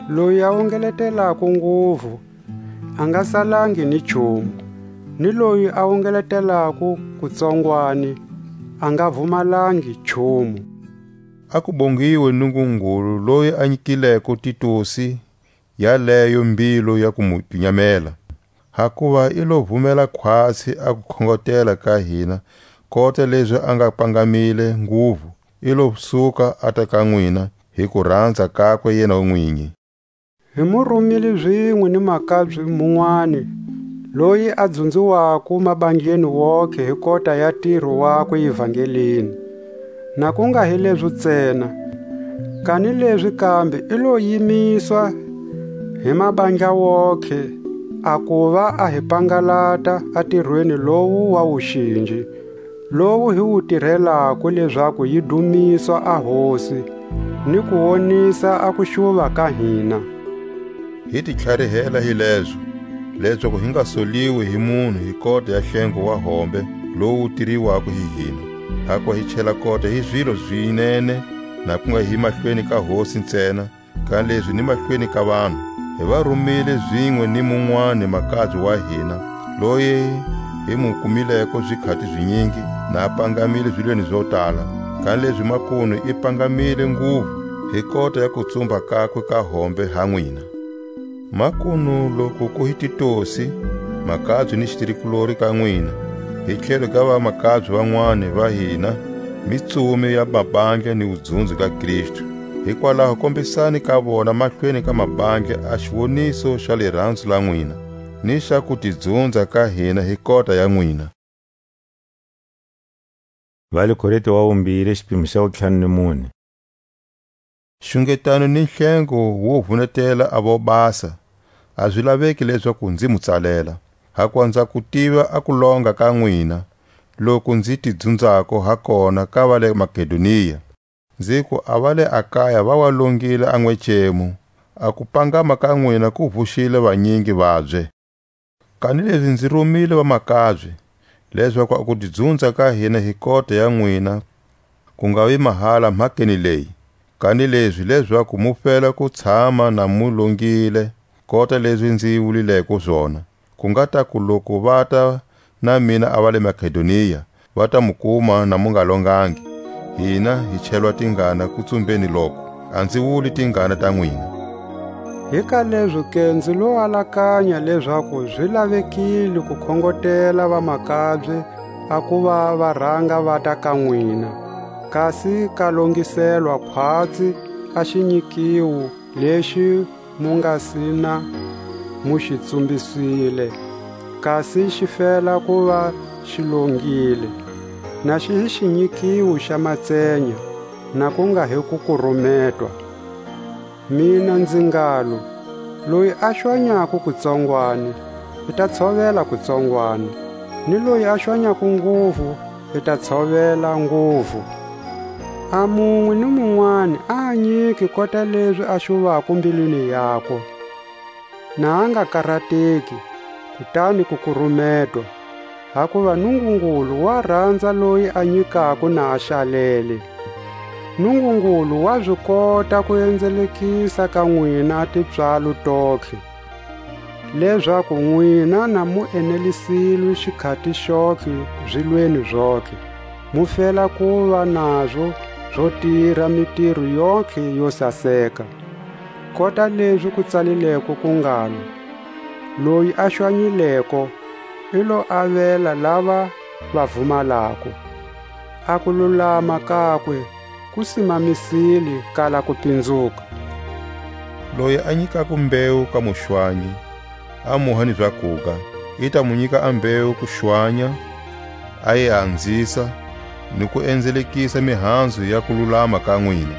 Loyi a wungeletelako nguvu, a nga salangi ni nchumu, ni loyi a wungeletelako kutsongwani, a nga vumalangi nchumu. A ku bongiwe Nungungulu, loyi a nyikileko Titusi yaleyo mbilu ya ku mu pinyamela, hakuva i lo vumela khwatsi a kukhongotela ka hina, kota lezi a nga pangamile nguvu, i lo suka a ta ka nwina hi kuranza kakwe yena nwinyi. Hi mu rumile zinwe ni makabye munwani, loyi a dzunziwako mabandleni wontihe hi kota ya ntiro wakwe evangelini. Na ku nga hi lezo ntsena, kanilezi kambe i lo yimiswa hi mabandla wontihe, a kuva a hi pangalata a ntirweni lowu wa wuxinji, lowu hi wu tirhelako lezaku yi dumiswa a Hosi, ni ku wonisa a kuxuva ka hina. Hi ti tlharihela hi lezo, lezaku hi nga soliwi hi munhu hi kota ya hlengo wa hombe lowu wu tiriwako hi hina. Hakuva hi chela kota hi zilo zinene, na ku nga hi mahlweni ka Hosi ntsena, kanilezi ni mahlweni ka vanhu. Hi va rumile zinwe ni munwani makabye wa hina, loyi hi mu kumileko zikhati zinyingi, na a pangamile zilweni zo tala, kanilezi makunu i pangamile nguvu hi kota ya kutsumba kakwe ka hombe ha nwina. Makunu loku ku hi Titosi, makabye ni xitirikulori ka nwina, hi tlhelo ga vamakabye vanwani va hina, mitsumi ya mabandla ni wudzunzi ga Kristu. Hikwalaho kombisani ka vona mahlweni ka mabandla a xiwoniso xa liranzo la nwina, ni xa kutidzunza ka hina hi kota ya nwina. Va le Korinte wa vumbiri, xipimo xa wutlhanu ni mune. Xungetano ni nhlengo wo vunetela a vobasa, a zi laveki lezaku nzi mu tsalela. Hakuva nza ku tiva a kulonga ka nwina, loku nzi ti dzunzako ha kona ka va le Makedonia. Nziku a va le Akaya va wa longile a n'wecemu, a kupangama ka nwina ku vuxile vanyingi vabye. Kanilezi nzi rumile vamakabye, lezaku a kutidzunza ka hina hi kota ya nwina ku nga vi mahala mhakeni leyi, kanilezi lezaku mu fela ku tshama na mu longile kota lezi nzi wulileko zona, ku nga ta ku loku vata na mina a va le Makedonia, va ta mu kuma na mu nga longangi, hina hi chelwa tingana kutsumbeni loko, a nzi wuli tingana ta nwina. Hi ka lezo ke nzi lo alakanya lezaku zi lavekile ku khongotela vamakabye a kuva va ranga vata ka nwina, kasi ka longiselwa khwatsi a xinyikiwo lexi mu nga si na mu xi tsumbiswile, kasi xi fela ku va xi longile, na xi hi xinyikiwo xa matsenya, na ku nga hi kukurumetwa. Mina nzi ngalo: Loyi a xwanyako kutsongwani, i ta tshovela kutsongwani, ni loyi a xwanyako nguvu, i ta tshovela nguvu. A munwe ni munwani a nyiki kota lezi a xuvako mbilwini yakwe, na a nga karateki, kutani ku kurumetwa, hakuva Nungungulu wa ranza loyi a nyikako na a xalele. Nungungulu wa zi kota ku enzelekisa ka nwina a tipswalo tontlhe, lezaku nwina na mu enelisilwe xikhati xontlhe zilweni zontlhe, mu fela kuva nazo zo tira mitiro yontlhe yo saseka. Kota lezi ku tsalileko ku ngalo: Loyi a xwanyileko, i lo avela lava va vumalako. A kululama kakwe ku simamisile kala ku pinzuka. Loyi a nyikako mbewu ka muxwanyi, a muha ni zakuga, i ta mu nyika a mbewu ku xwanya, a yi anzisa, ni ku enzelekisa mihanzu ya kululama ka nwina,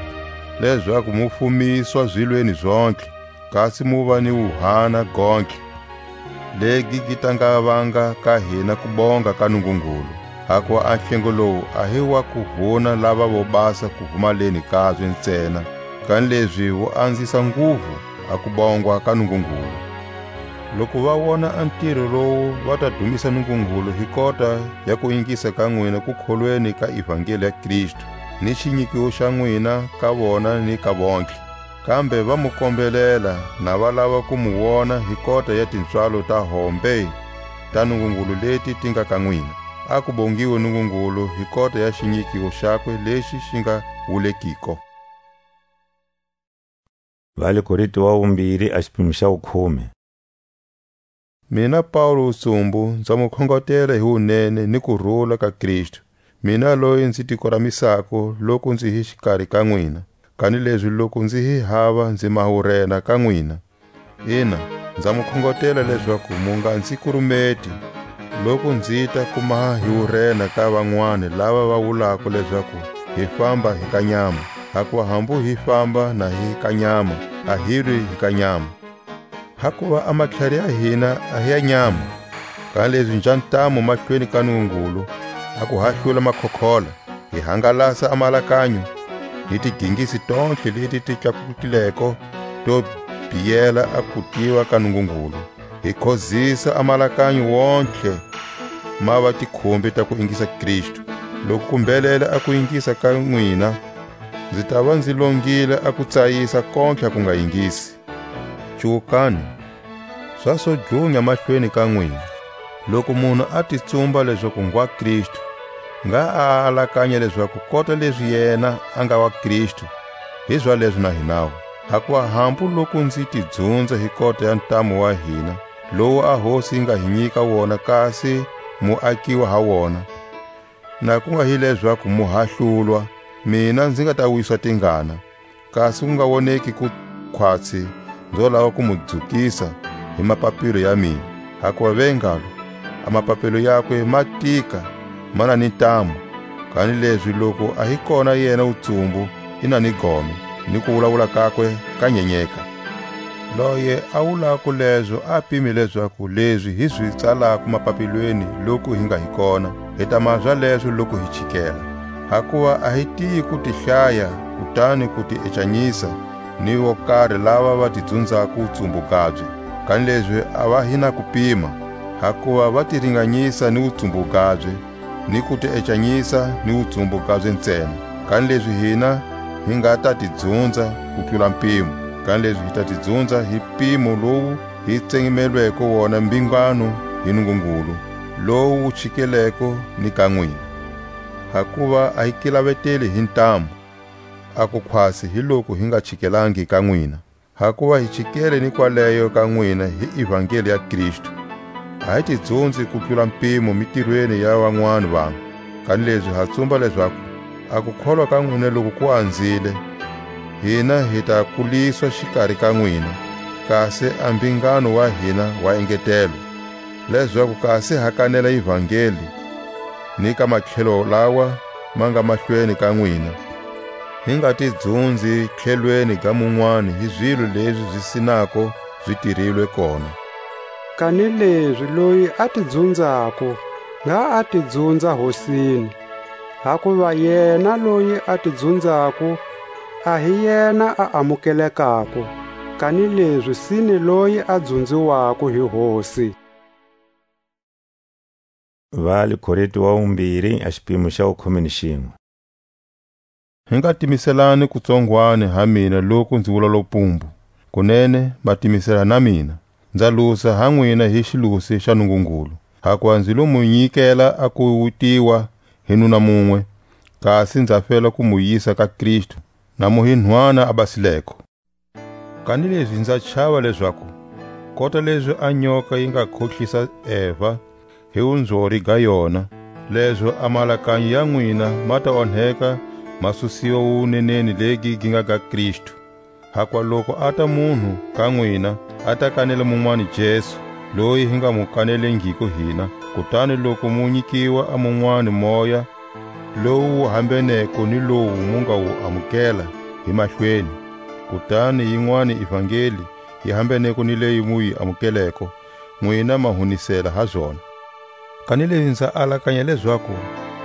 lezaku mu fumiswa zilweni zontlhe, kasi mu va ni wuhana gontlhe, legi gi ta nga vanga ka hina kubonga ka Nungungulu. Hakuva a nhlengo lowu a hi wa ku vuna lava vo basa ku vumaleni kabye ntsena, kanilezi wu anzisa nguvu a kubongwa ka Nungungulu. Loku va wona a ntiro lowu, va ta dumisa Nungungulu hi kota ya ku ingisa ka nwina kukholweni ka ivangeli ya Kristu, ni xinyikiwo xa nwina ka vona ni ka vontlhe. Kambe va mu kombelela, na va lava ku mu wona hi kota ya tipswalo ta hombe ta Nungungulu leti ti nga ka nwina. A ku bongiwe Nungungulu hi kota ya xinyikiwo xakwe lexi xi nga wulekiko. Va le Korinto wa vumbiri, a xipimo xa wukhume. Mina Paulu wutsumbu, nza mu khongotela hi wunene ni kurula ka Kristu, mina loyi nzi ti koramisako loku nzi hi xikari ka nwina, kanilezi loku nzi hi hava nzi maha wurena ka nwina. Ina, nza mu khongotela lezaku mu nga nzi kurumeti, loku nzita ku maha hi wurena ka vanwani lava va wulako lezaku hi famba hi ka nyama, hakuva hambu hi famba na hi ka nyama, a hi lwi hi ka nyama. Hakuva a matlhari ya hina a hi ya nyama, kanilezi nja ntamu mahlweni ka Nungungulu, a ku hahlula makhokhola, hi hangalasa a malakanyo, ni tigingisi tontlhe leti ti tlakutileko to biyela a kutiva ka Nungungulu, hi khozisa a malakanyo wontlhe ma va tikhumbi ta ku ingisa Kristu. Loku ku mbelela a ku ingisa ka nwina, nzi tava nzi longile a ku tsayisa kontlha ku nga ingisi. Cuwukani, swa so dlunya mahlweni ka nwina. Loku munhu a ti tsumba lezaku ngwa Kristu, ngha a alakanya lezaku kota lezi yena a nga wa Kristu, hi zalezo na hinawu. Hakuva hambu loku nzi ti dzunza hi kota ya ntamu wa hina, lowu a Hosi yi nga hi nyika wona, kasi mu akiwa ha wona, na ku nga hi lezaku mu hahlulwa, mina nzi nga ta wiswa tingana, kasi ku nga woneki ku khwatsi nzo lava ku mu dzukisa hi mapapilo ya mina. Hakuva ve ngalo, a mapapilo yakwe ma tika, ma na ni ntamu, kanilezi loku a hi kona yena wutsumbu, i na ni gome, ni kuwulawula kakwe ka nyenyeka. Loye a wulako lezo a pime lezaku lezi hi zi tsalako mapapilweni loku hi nga hi kona, hi ta mazwa lezo loku hi chikela. Hakuva a hi tiyi ku ti hlaya, kutani ku ti ecanyisa ni vo kari lava va ti dzunzako wutsumbu gabye, kanilezi a va hi na kupima, hakuva va ti ringanyisa ni wutsumbu gabye, ni ku ti ecanyisa ni wutsumbu gabye ntsena. Kanilezi hina hi nga ta ti dzunza ku tlula mpimo, kanilezi hi ta ti dzunza hi mpimo lowu hi tsengemelweko wona mbingano hi Nungungulu, lowu wu chikeleko ni ka nwina. Hakuva a hi ki laveteli hi ntamu, a ku khwatsi hi loku hi nga chikelangi ka nwina. Hakuva hi chikele ni kwaleyo ka nwina hi ivangeli ya Kristu. A hi ti dzunzi ku tlula mpimo mitirweni ya vanwani vanhu, kanilezi ha tsumba lezaku a kukholwa ka nwina loku ku anzile, hina hi ta kuliswa xikari ka nwina, kasi a mbingano wa hina wa engetelwa, lezaku kasi ha kanela ivangeli ni ka matlhelo lawa ma nga mahlweni ka nwina, hi nga ti dzunzi tlhelweni ga munwani hi zilo lezi zi sinako zi tirilwe kona. Kanilezi loyi a ti dzunzako, ngha a ti dzunza Hosini, hakuva yena loyi a ti dzunzako, a hi yena a amukelekako, kanilezi sine loyi a dzunziwako hi Hosi. Va le Korinto wa vumbiri, a xipimo xa wukhume ni xinwe. Hi nga timiselani kutsongwani ha mina loku nzi wula lopumbu. Kunene, ma timisela na mina. Nza lusa ha nwina hi xilusi xa Nungungulu. Hakuva nzi lo mu nyikela a ku wutiwa hi nuna munwe, kasi nza fela ku mu yisa ka Kristu, na mu hi nhwana a basileko. Kanilezi nza chava lezaku, kota lezi a nyoka yi nga khohlisa Eva, hi wunzori ga yona, lezo a maalakanyo ya nwina ma ta onheka, ma susiwa wuwuneneni legi gi nga ga Kristu. Hakwaloku a ta munhu ka nwina, a ta kanela munwani Jesu, loyi hi nga mu kanelengiko hina, kutani loku mu nyikiwa a munwani Moya, lowu wu hambeneko ni lowu mu nga wu amukela hi mahlweni, kutani yinwani ivangeli yi hambeneko ni leyi mu yi amukeleko, nwina ma hunisela ha zona. Kanilezi nza alakanya lezaku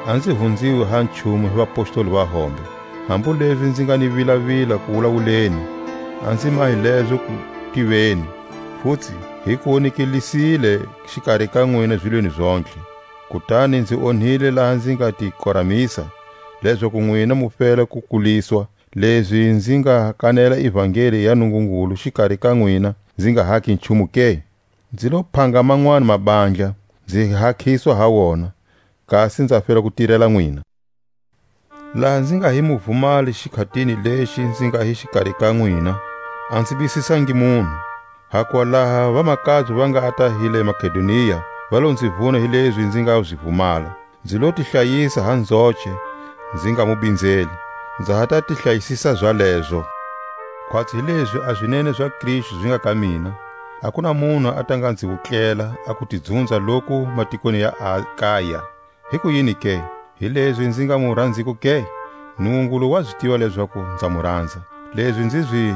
a nzi hunziwi ha nchumu hi vapostoli va hombe, hambu lezi nzi nga ni vilavila ku wulawuleni, a nzi mahi lezo ku tiveni, futsi hi ku wonekelisile xikari ka nwina zilweni zontlhe. Kutani nzi onhile laha nzi nga ti koramisa, lezaku nwina mu fela ku kuliswa, lezi nzi nga kanela ivangeli ya Nungungulu xikari ka nwina, nzi nga haki nchumu ke? Nzi lo phanga manwani mabandla, nzi hakhiswa ha wona, kasi nza fela ku tirela nwina. Laha nzi nga hi muvumali xikhatini lexi nzi nga hi xikari ka nwina, a nzi bisisangi munhu. Hakwalaha vamakabye va nga ta hi le Makedonia, va lo nzi vuna hi lezi nzi nga zi vumala. Nzi lo ti hlayisa ha nzoce, nzi nga mu binzeli. Nza ha ta ti hlayisisa zalezo. Khwatsi hi lezi a zinene za Kristu zi nga ka mina, a ku na munhu a ta nga nzi wutlela a ku ti dzunza loku matikweni ya Akaya. Hikuyini ke? Hilezi nzi nga mu ranziko ke? Nungungulu wa zi tiva lezaku nza mu ranza. Lezi nzi zi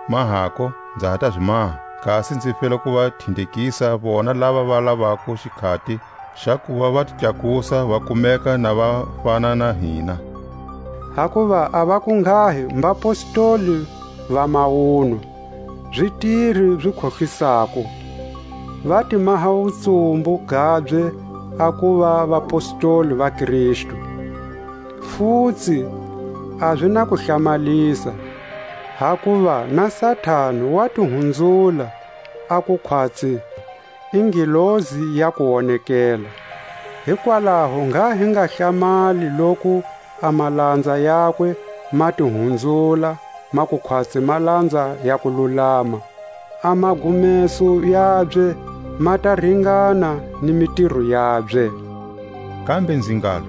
mahako, nza ha ta zi maha, kasi nzi fela ku va thindekisa vona lava va lavako xikhati xa ku va va ti tlakusa, va kumeka na va fana na hina. Hakuva a va ku nghahi mbapostoli va mawunwa, zitiri zi khohlisako, va ti maha wutsumbu gabye a kuva vapostoli va Kristu. Futsi a zi na ku hlamalisa, hakuva na Satani wa ti hunzula a ku khwatsi i ngilozi ya ku wonekela. Hikwalaho ngha hi nga hlamali loku a malanza yakwe ma ti hunzula, ma ku khwatsi malanza ya ku lulama, a magumeso yabye ma ta ringana ni mitiro yabye. Kambe nzi ngalo,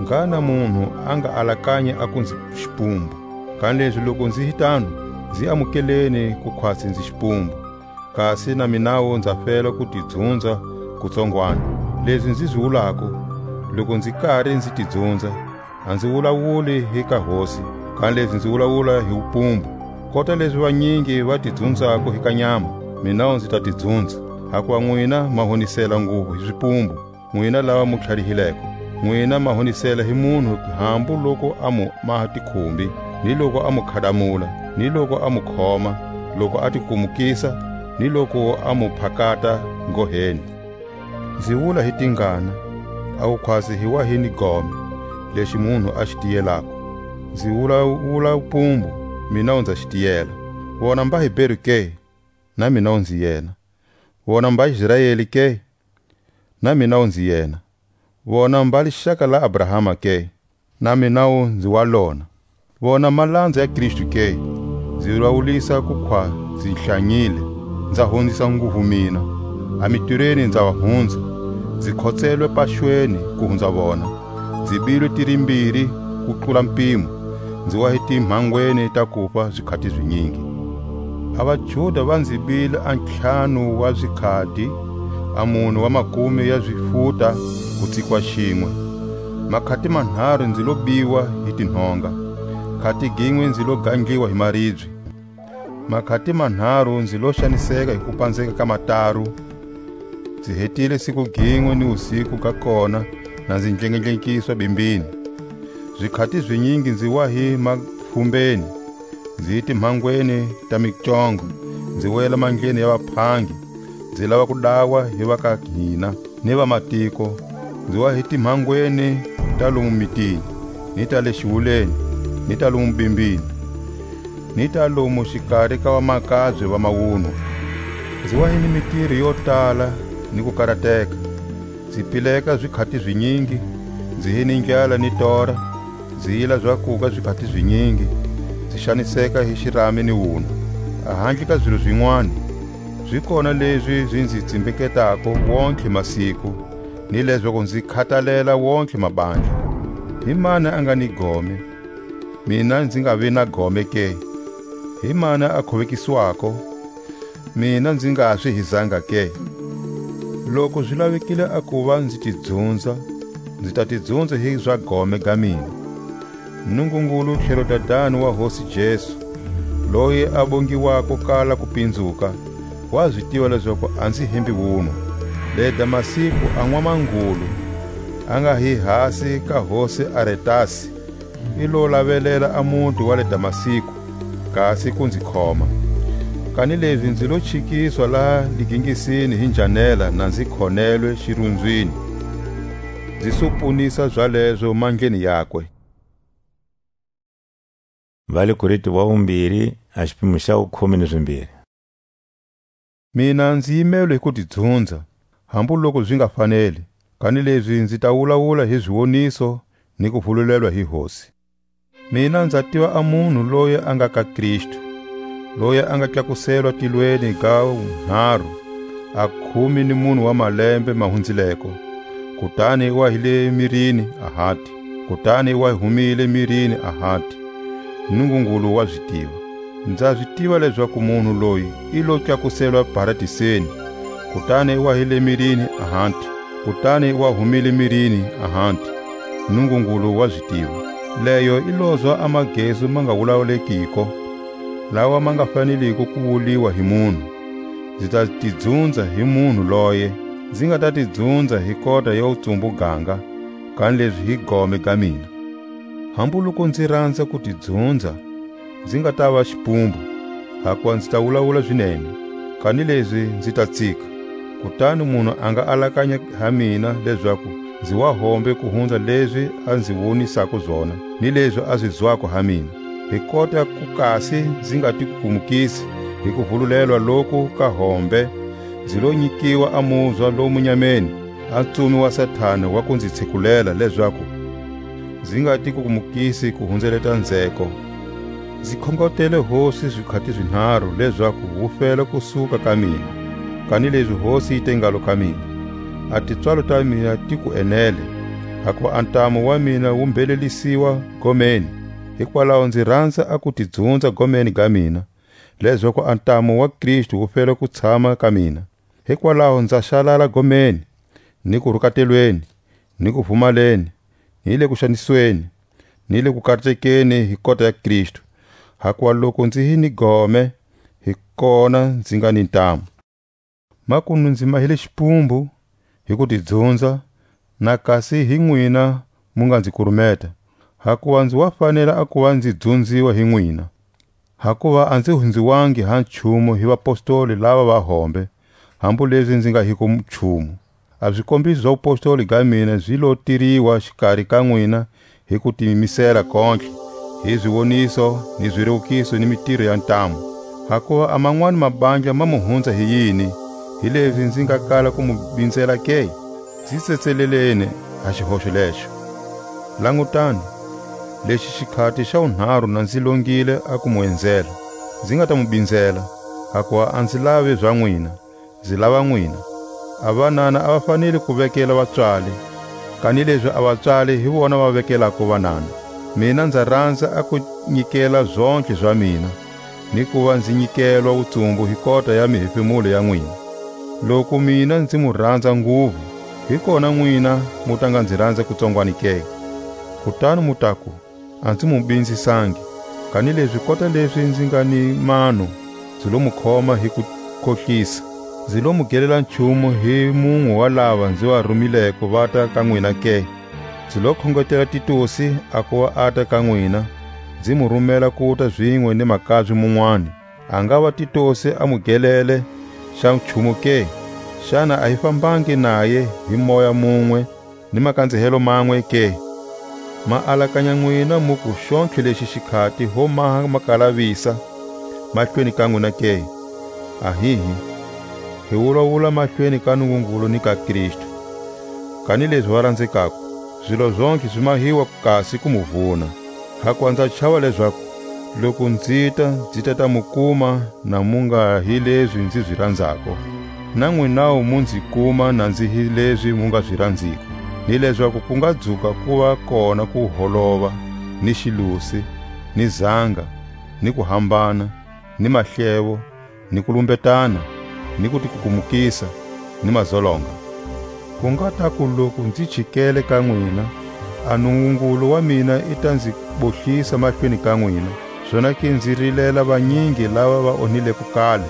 ngana munhu a nga alakanya a ku nzi xipumbu. Kanilezi loku nzi hi tano, nzi amukeleni ku khwatsi nzi xipumbu, kasi na minawu nza fela ku ti dzunza kutsongwani. Lezi nzi zi wulako, loku nzi kari nzi ti dzunza, a nzi wulawuli hi ka Hosi, kanilezi nzi wulawula hi wupumbu. Kota lezi vanyingi va ti dzunzako hi ka nyama, minawu nzi ta ti dzunza, hakuva nwina ma honisela nguvu hi zipumbu, nwina lava mu tlharihileko. Nwina ma honisela hi munhu hambu loku a mu maha tikhumbi, ni loku a mu khadamula, ni loku a mu khoma, loku a ti kumukisa, ni loku a mu phakata ngoheni. Nzi wula hi tingana, a wu khwatsi hi wa hi ni gome, lexi munhu a xi tiyelako. Nzi wula, wula pumbu, mina u nza xi tiyela. Vona mba Heberu ke? Na mina u nzi yena. Vona mba Israeli ke? Na mina u nzi yena. Vona mba lixaka la Abrahama ke? Na mina u nzi wa lona. Vona malanza ya Kristu ke? Nzi vawulisa ku khwa nzi hlanyile, nza hunzisa nguvu mina. A mitirweni nza va hunza, nzi khotselwe paxweni ku hunza vona. Nzi bilwe tirimbiri ku tlula mpimo, nzi wa hi timhangweni ta kufa zikhati zinyingi. A vaJuda va nzi bile a ntlhanu wa zikhati, a mune wa makume ya zifuta ku tsikwa xinwe. Makhati manharu nzi lo biwa hi tinhonga, khati ginwe nzi lo gandliwa hi maribye. Makhati manharu nzi lo xaniseka hi kupanzeka ka mataru. Nzi hetile siku ginwe ni wusiku ga kona, na nzi ndlengendlenkiswa bimbini. Zikhati zinyingi nzi wa hi mafumbeni, nzi hi timhangweni ta micongo, nzi wela mandleni ya vaphangi, nzi lava ku dawa hi va ka hina ni vamatiko, nzi wa hi timhangweni ta lomu mitini, ni ta le xiwuleni, ni ta lomu bimbini, ni ta lomu xikari ka vamakabye va mawunwa. Nzi wa hi ni mitiro yo tala ni ku karateka. Nzi pileka zikhati zinyingi, nzi hi ni ndlala ni tora, nzi yila zakuga zikhati zinyingi, nzi xaniseka hi xirami ni wunwa. A handle ka zilo zinwani, zi kona lezi zi nzi tsimbeketako wontlhe masiku, ni lezaku nzi khatalela wontlhe mabandla. Hi mani a nga ni gome, mina nzi nga vi na gome ke? Hi mani a khuvekiswako, mina nzi nga swi hizanga ke? Loku zi lavekile a kuva nzi ti dzunza, nzi ta ti dzunza hi za gome ga mina. Nungungulu tlhelo Dadani wa Hosi Jesu, loyi a bongiwako kala ku pinzuka, wa zi tiva lezaku a nzi hembi wunwa. Le Damasku a n'wamangulu, a nga hi hasi ka hosi Aretasi, i lo lavelela a muti wa le Damasku, kasi ku nzi khoma. Kanilezi nzi lo chikiswa laha ligingisini hi njanela na nzi khonelwe xirunzwini, nzi supunisa zalezo mandleni yakwe. Va le Korinto wa vumbiri, a xipimo xa wukhume ni zimbiri. Mina nzi yimelwe hi ku ti dzunza, hambu loku zi nga faneli, kanilezi nzi ta wulawula hi ziwoniso ni ku vululelwa hi Hosi. Mina nza tiva a munhu loyi a nga ka Kristu, loyi a nga tlakuselwa tilweni ga wunharu, a khume ni mune wa malembe ma hunzileko, kutani wa hi le mirini a hati, kutani wa humile mirini a hati. Nungungulu wa zi tiva. Nza zi tiva lezaku munhu loyi i lo tlakuselwa paradiseni, kutani wa hi le mirini a hati, kutani wa humile mirini a hati. Nungungulu wa zi tiva. Leyo i lozwa a magezu ma nga wulawulekiko, lawa ma nga faneliko ku wuliwa hi munhu. Nzi ta ti dzunza hi munhu loye, nzi nga ta ti dzunza hi kota ya wutsumbu ganga, kanilezi hi gome ga mina. Hambu loku nzi ranza ku ti dzunza, nzi nga ta va xipumbu, hakuva nzi ta wulawula zinene, kanilezi nzi ta tsika. Kutani munhu a nga alakanya ha mina lezaku nzi wa hombe ku hunza lezi a nzi wonisako zona, ni lezi a zi zwako ha mina. Hi kota ku kasi nzi nga ti kukumukisi hi ku vululelwa loku ka hombe, nzi lo nyikiwa a muzwa lomu nyameni, a ntsumi wa Satana wa ku nzi tsikulela lezaku nzi nga ti kukumukisi ku hunzeleta nzheko. Nzi khongotele Hosi zikhati zinharu lezaku wu fela kusuka ka mina, kanilezi Hosi yi te ngalo ka mina: A tipswalo ta mina ti ku enele, hakuva a ntamu wa mina wu mbhelelisiwa gomeni. Hikwalaho nzi ranza a ku ti dzunza gomeni ga mina, lezaku a ntamu wa Kristu wu fela ku tshama ka mina. Hikwalaho nza xalala gomeni, ni ku rukatelweni, ni ku pfumaleni, ni le kuxanisweni, ni le kukatekeni hi kota ya Kristu. Hakuva loku nzi hi ni gome, hi kona nzi nga ni ntamu. Makunu nzi mahile xipumbu hi ku ti dzunza, na kasi hi nwina mu nga nzi kurumeta, hakuva nzi wa fanela a kuva nzi dzunziwa hi nwina. Hakuva a nzi hunziwangi ha nchumu hi vapostoli lava va hombe, hambu lezi nzi nga hiko nchumu. A zikombiso za wupostoli ga mina zi lo tiriwa xikari ka nwina hi ku tiyimisela kontlhe, hi ziwoniso, ni zirewukiso, ni mitiro ya ntamu. Hakuva a manwani mabandla ma mu hunza hi yini, hilezi nzi nga kala ku mu binzela ke? Nzi tsetseleleni ha xihoxo lexo. Langutani, lexi xikhati xa wunharu na nzi longile a ku mu enzela, nzi nga ta mu binzela, hakuva a nzi lavi za nwina, nzi lava nwina. A vanana a va fanele ku vekela vatswali, kanilezi a vatswali hi vona va vekelako vanana. Mina nza ranza a ku nyikela zontlhe za mina, ni kuva nzi nyikelwa wutsumbu hi kota ya mihefemulo ya nwina. Loku mina nzi mu ranza nguvu, hi kona nwina mu ta nga nzi ranza kutsongwani ke? Kutani mu taku, a nzi mu binzisangi, kanilezi kota lezi nzi nga ni mano, nzi lo mu khoma hi kukhohlisa. Nzi lo mu gelela nchumu hi munwe wa lava nzi va rumileko vata ka nwina ke? Nzi lo khongetela Titusi a kuva ata ka nwina, nzi mu rumela kuta zinwe ni makabye munwani. A ngava Titusi a mu gelele xa nchumu ke? Xana a hi fambangi naye hi moya munwe ni makanzehelo manwe ke? Ma alakanya nwina mu ku xontlhe lexi xikhati ho maha makalavisa mahlweni ka nwina ke? Ahihi, hi wulawula mahlweni ka Nungungulu ni ka Kristu. Kanilezi va ranzekako, zilo zontlhe zi mahiwa kasi ku mu vuna. Hakuva nza chava lezaku, loku nzita, nzi ta ta mu kuma na mu nga hi lezi nzi zi ranzako. Na nwinawu mu nzi kuma na nzi hi lezi mu nga zi ranziko, ni lezaku ku nga dzuka ku va kona kuholova, ni xilusi, ni zanga, ni kuhambana, ni mahlevo, ni kulumbetana, ni kutikukumukisa, ni mazolonga. Ku nga taku loku nzi chikele ka nwina, a Nungungulu wa mina i ta nzi bohlisa mahlweni ka nwina, zonake nzi rilela vanyingi lava va onhileko kale,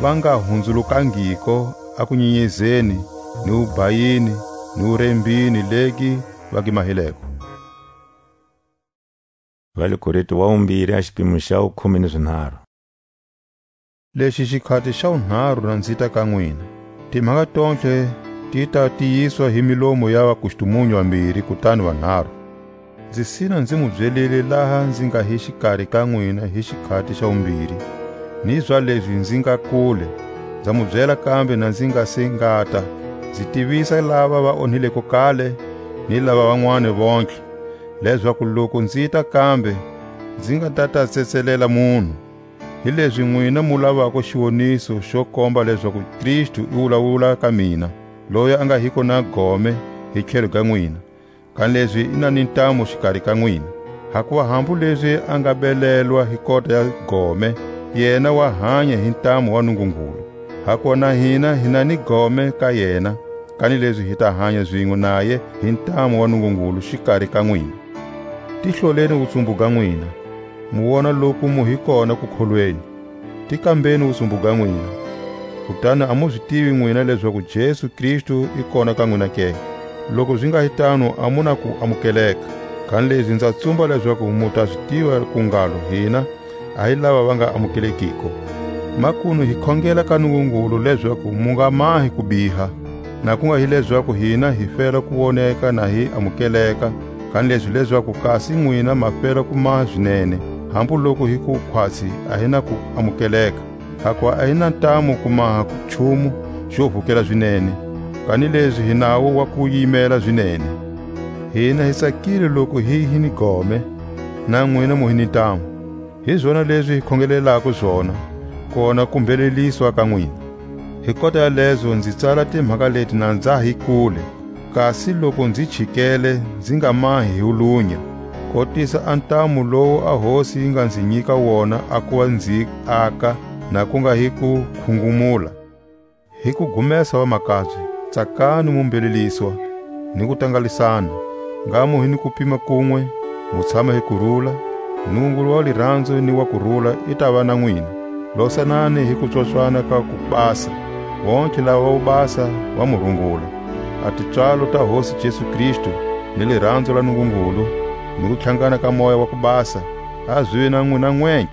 va nga hunzulukangiko a kunyenyezeni, ni wubhayini, ni wurembini legi va gi mahileko. Va le Korinto wa wumbiri, a xipimo xa wukhume ni zinharhu. Lexi xikhati xa wunharhu na nzi ta ka nwina. Timhaka tontlhe ti ta tiyiswa hi milomu ya vakustumunyu vambiri, kutani vanharhu. Nzi sina nzi mu byelile laha nzi nga hi xikari ka nwina hi xikhati xa wumbiri, ni zwa lezi nzi nga kule, nza mu byela kambe na nzi nga se ngata, nzi tivisa lava va onhileko kale, ni lava van'wani vontlhe, lezaku loku nzi ta kambe, nzi nga ta ta tsetselela munhu. Hilezi nwina mu lavako xiwoniso xo komba lezaku Kristu i wulawula ka mina, loyi a nga hiko na gome hi tlhelo ga nwina, kanilezi i na ni ntamu xikari ka nwina. Hakuva hambu lezi a nga belelwa hi kota ya gome, yena wa hanya hi ntamu wa Nungungulu. Hakuva na hina hi na ni gome ka yena, kanilezi hi ta hanya zinwe naye hi ntamu wa Nungungulu xikari ka nwina. Tihloleni wutsumbu ga nwina, mu wona loku mu hi kona kukholweni. Ti kambeni wutsumbu ga nwina, kutani a mu zi tivi nwina lezaku Jesu Kristu i kona ka nwina ke? Loku zi nga hi tano, a mu na ku amukeleka. Kanilezi nza tsumba lezaku mu ta zi tiva ku ngalo hina a hi lava va nga amukelekiko. Makunu hi khongela ka Nungungulu lezaku mu nga mahi kubiha, na ku nga hi lezaku hina hi fela ku woneka na hi amukeleka, kanilezi lezaku kasi nwina ma fela ku maha zinene, hambu loku hi ku khwatsi a hi na ku amukeleka. Hakuva a hi na ntamu ku maha nchumu xo vukela zinene, kanilezi hi nawu wa ku yimela zinene. Hina hi tsakile loku hi hi ni gome, na nwina mu hi ni ntamu. Hi zona lezi hi khongelelako zona, kona ku mbheleliswa ka nwina. Hi kota ya lezo nzi tsala timhaka leti na nza hi kule, kasi loku nzi chikele, nzi nga mahi hi wulunya, kotisa a ntamu lowu a Hosi yi nga nzi nyika wona a kuva nzi aka, na ku nga hi ku khungumula. Hi ku gumesa vamakabye, tsakani mu mbheleliswa, ni ku tangalisana, ngha mu hi ni kupima kunwe, mu tshama hi kurula, Nungungulu wa liranzo ni wa kurula i ta va na nwina. Losanani hi kupswapswana ka kubasa, vontlhe lava va wubasa va mu rungula. A tipswalo ta Hosi Jesu Kristu, ni liranzo la Nungungulu, ni kutlhangana ka Moya wa ku Basa, a zive na nwina nwentlhe.